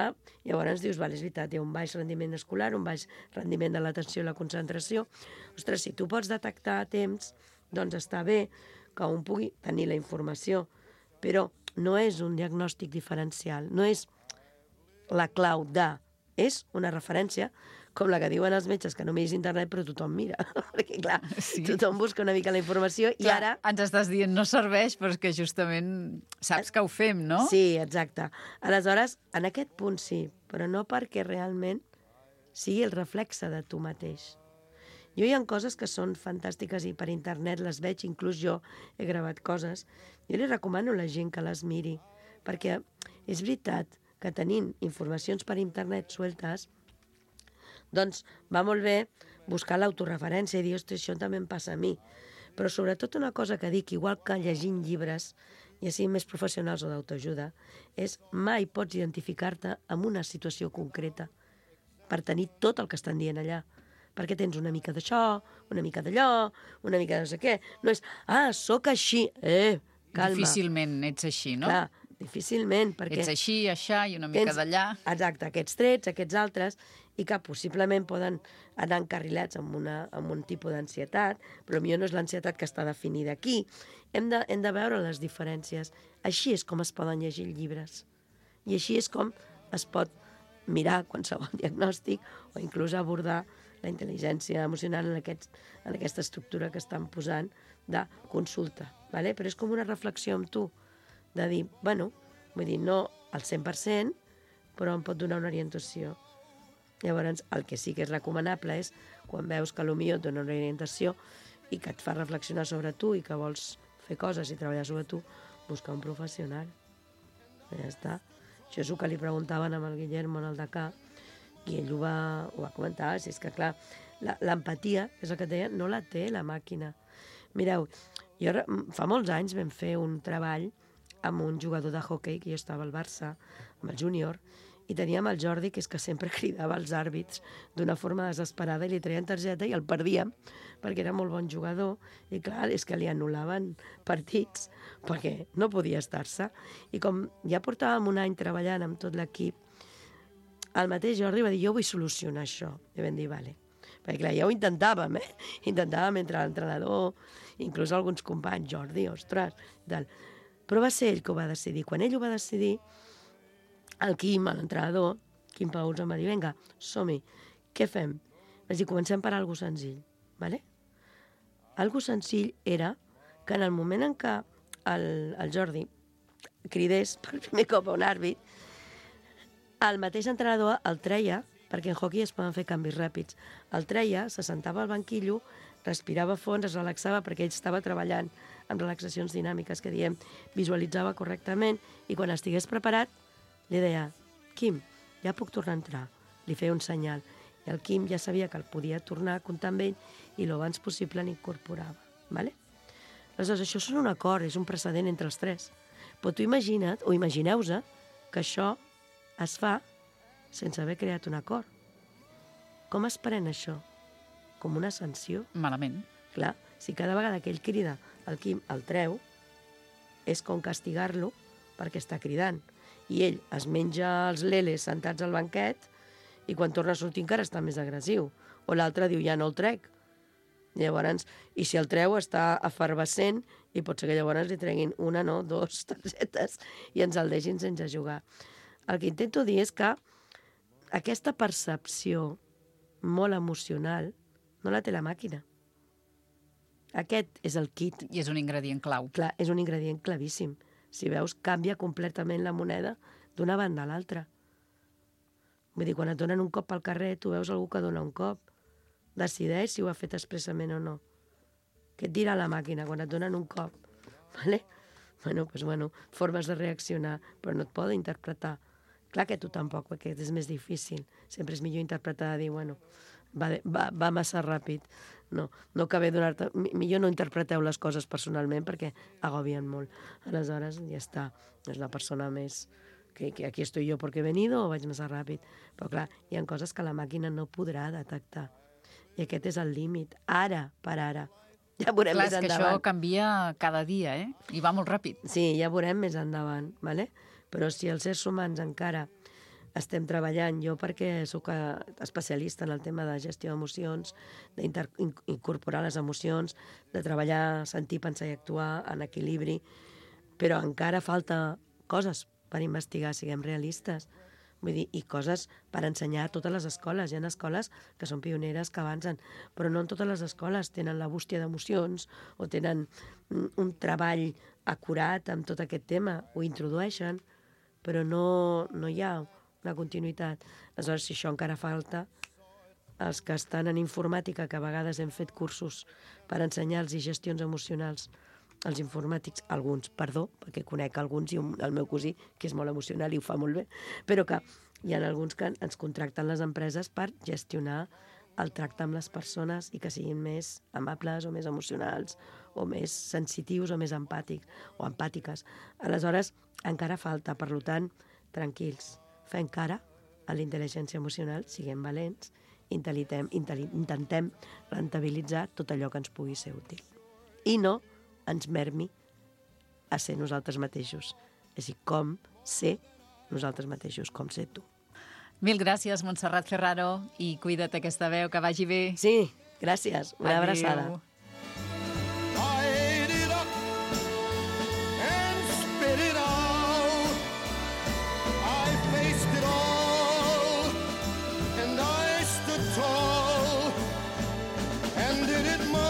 llavors dius, vale, és veritat, hi ha un baix rendiment escolar, un baix rendiment de l'atenció i la concentració. Ostres, si tu pots detectar a temps, doncs està bé que un pugui tenir la informació, però no és un diagnòstic diferencial, no és la clau de, és una referència com la que diuen els metges, que no miris internet, però tothom mira. Perquè, clar, sí. tothom busca una mica la informació i clar, ara... Ens estàs dient no serveix, però és que justament saps que ho fem, no? Sí, exacte. Aleshores, en aquest punt sí, però no perquè realment sigui el reflexe de tu mateix. Jo hi ha coses que són fantàstiques i per internet les veig, inclús jo he gravat coses. Jo li recomano a la gent que les miri, perquè és veritat que tenint informacions per internet sueltes, doncs va molt bé buscar l'autoreferència i dir, ostres, això també em passa a mi. Però sobretot una cosa que dic, igual que llegint llibres, ja siguin més professionals o d'autoajuda, és mai pots identificar-te amb una situació concreta per tenir tot el que estan dient allà. Perquè tens una mica d'això, una mica d'allò, una mica de no sé què. No és, ah, sóc així. Eh, calma. Difícilment ets així, no? Clar, difícilment, perquè... Ets així, això, i una mica tens, d'allà. Exacte, aquests trets, aquests altres, i que possiblement poden anar encarrilats amb, una, amb un tipus d'ansietat, però potser no és l'ansietat que està definida aquí. Hem de, hem de veure les diferències. Així és com es poden llegir llibres. I així és com es pot mirar qualsevol diagnòstic o inclús abordar la intel·ligència emocional en, aquests, en aquesta estructura que estan posant de consulta. ¿vale? Però és com una reflexió amb tu, de dir, bueno, vull dir, no al cent per cent, però em pot donar una orientació. Llavors, el que sí que és recomanable és, quan veus que potser et dona una orientació i que et fa reflexionar sobre tu i que vols fer coses i treballar sobre tu, buscar un professional. Ja està. Això és el que li preguntaven amb el Guillermo en el Dakar, i ell ho va, ho va comentar, si és que, clar, l'empatia, és el que et deia, no la té la màquina. Mireu, jo fa molts anys vam fer un treball amb un jugador de hoquei, que jo estava al Barça, amb el júnior, i teníem el Jordi, que és que sempre cridava als àrbits d'una forma desesperada i li traien targeta i el perdíem, perquè era molt bon jugador, i clar, és que li anul·laven partits, perquè no podia estar-se. I com ja portàvem un any treballant amb tot l'equip, el mateix Jordi va dir, jo vull solucionar això. I vam dir, vale. Perquè clar, ja ho intentàvem, eh? Intentàvem entre l'entrenador, inclús alguns companys, Jordi, ostres, tal. Però va ser ell que ho va decidir. Quan ell ho va decidir, el Quim, l'entrenador, Quim Paus, em va dir, vinga, som-hi, què fem? Vaig dir, comencem per algo senzill, ¿vale? Algo senzill era que en el moment en què el, el Jordi cridés per primer cop a un àrbit, el mateix entrenador el treia, perquè en hockey es poden fer canvis ràpids, el treia, se sentava al banquillo, respirava fons, es relaxava, perquè ell estava treballant amb relaxacions dinàmiques, que diem, visualitzava correctament, i quan estigués preparat, li deia, Quim, ja puc tornar a entrar. Li feia un senyal. I el Quim ja sabia que el podia tornar a comptar amb ell i l'abans possible l'incorporava. ¿Vale? Aleshores, això és un acord, és un precedent entre els tres. Però tu imagina't, o imagineu-vos, que això es fa sense haver creat un acord. Com es pren això? Com una sanció? Malament. Clar, si cada vegada que ell crida el Quim el treu, és com castigar-lo perquè està cridant. I ell es menja els leles sentats al banquet i quan torna a sortir encara està més agressiu. O l'altre diu, ja no el trec. Llavors, i si el treu està efervescent i pot ser que llavors li treguin una, no, dos targetes i ens el deixin sense jugar. El que intento dir és que aquesta percepció molt emocional no la té la màquina. Aquest és el kit. I és un ingredient clau. Clar, és un ingredient clavíssim. Si veus, canvia completament la moneda d'una banda a l'altra. Vull dir, quan et donen un cop al carrer, tu veus algú que dona un cop. Decideix si ho ha fet expressament o no. Què et dirà la màquina quan et donen un cop? Vale? Bueno, doncs, bueno, formes de reaccionar, però no et poden interpretar. Clar que tu tampoc, perquè és més difícil. Sempre és millor interpretar, dir, bueno, va, va, va massa ràpid. No, no cabe donar-te... Millor no interpreteu les coses personalment perquè agobien molt. Aleshores, ja està. És una persona més... Que, que aquí estoy yo porque he venido o vaig massa ràpid. Però clar, hi ha coses que la màquina no podrà detectar. I aquest és el límit. Ara, per ara. Ja veurem Clar, més és que endavant. això canvia cada dia, eh? I va molt ràpid. Sí, ja veurem més endavant, ¿vale? Però si els éssers humans encara estem treballant, jo perquè sóc especialista en el tema de gestió d'emocions, d'incorporar les emocions, de treballar, sentir, pensar i actuar en equilibri, però encara falta coses per investigar, siguem realistes. Vull dir, i coses per ensenyar a totes les escoles. Hi ha escoles que són pioneres, que avancen, però no en totes les escoles tenen la bústia d'emocions o tenen un treball acurat amb tot aquest tema. Ho introdueixen, però no, no hi ha una continuïtat. Aleshores, si això encara falta, els que estan en informàtica, que a vegades hem fet cursos per ensenyar-los gestions emocionals, els informàtics, alguns, perdó, perquè conec alguns i un, el meu cosí, que és molt emocional i ho fa molt bé, però que hi ha alguns que ens contracten les empreses per gestionar el tracte amb les persones i que siguin més amables o més emocionals o més sensitius o més empàtics o empàtiques. Aleshores, encara falta, per tant, tranquils, fem cara a la intel·ligència emocional, siguem valents, intentem, intentem rentabilitzar tot allò que ens pugui ser útil. I no ens mermi a ser nosaltres mateixos. És a dir, com ser nosaltres mateixos, com ser tu. Mil gràcies, Montserrat Ferraro, i cuida't aquesta veu, que vagi bé. Sí, gràcies. Una Adéu. abraçada. I ate it up and spit it out. I faced it all and I stood tall and did it my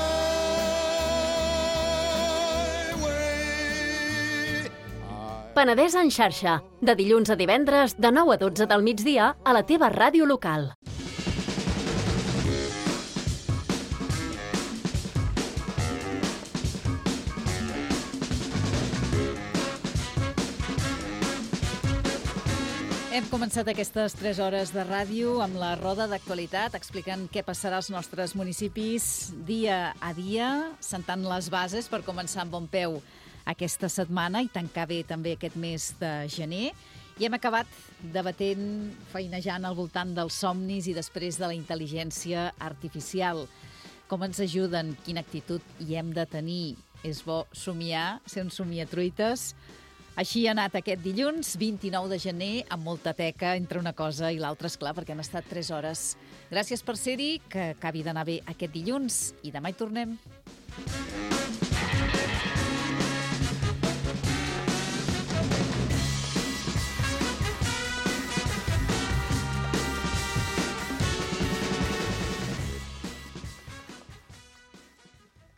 way. Penedès en xarxa, de dilluns a divendres, de nou a dotze del migdia, a la teva ràdio local. Hem començat aquestes tres hores de ràdio amb la roda d'actualitat, explicant què passarà als nostres municipis dia a dia, sentant les bases per començar amb bon peu aquesta setmana i tancar bé també aquest mes de gener. I hem acabat debatent, feinejant al voltant dels somnis i després de la intel·ligència artificial. Com ens ajuden, quina actitud hi hem de tenir. És bo somiar, ser uns somiatruites. Així ha anat aquest dilluns, vint-i-nou de gener, amb molta teca entre una cosa i l'altra, esclar, perquè han estat tres hores. Gràcies per ser-hi, que acabi d'anar bé aquest dilluns i demà hi tornem.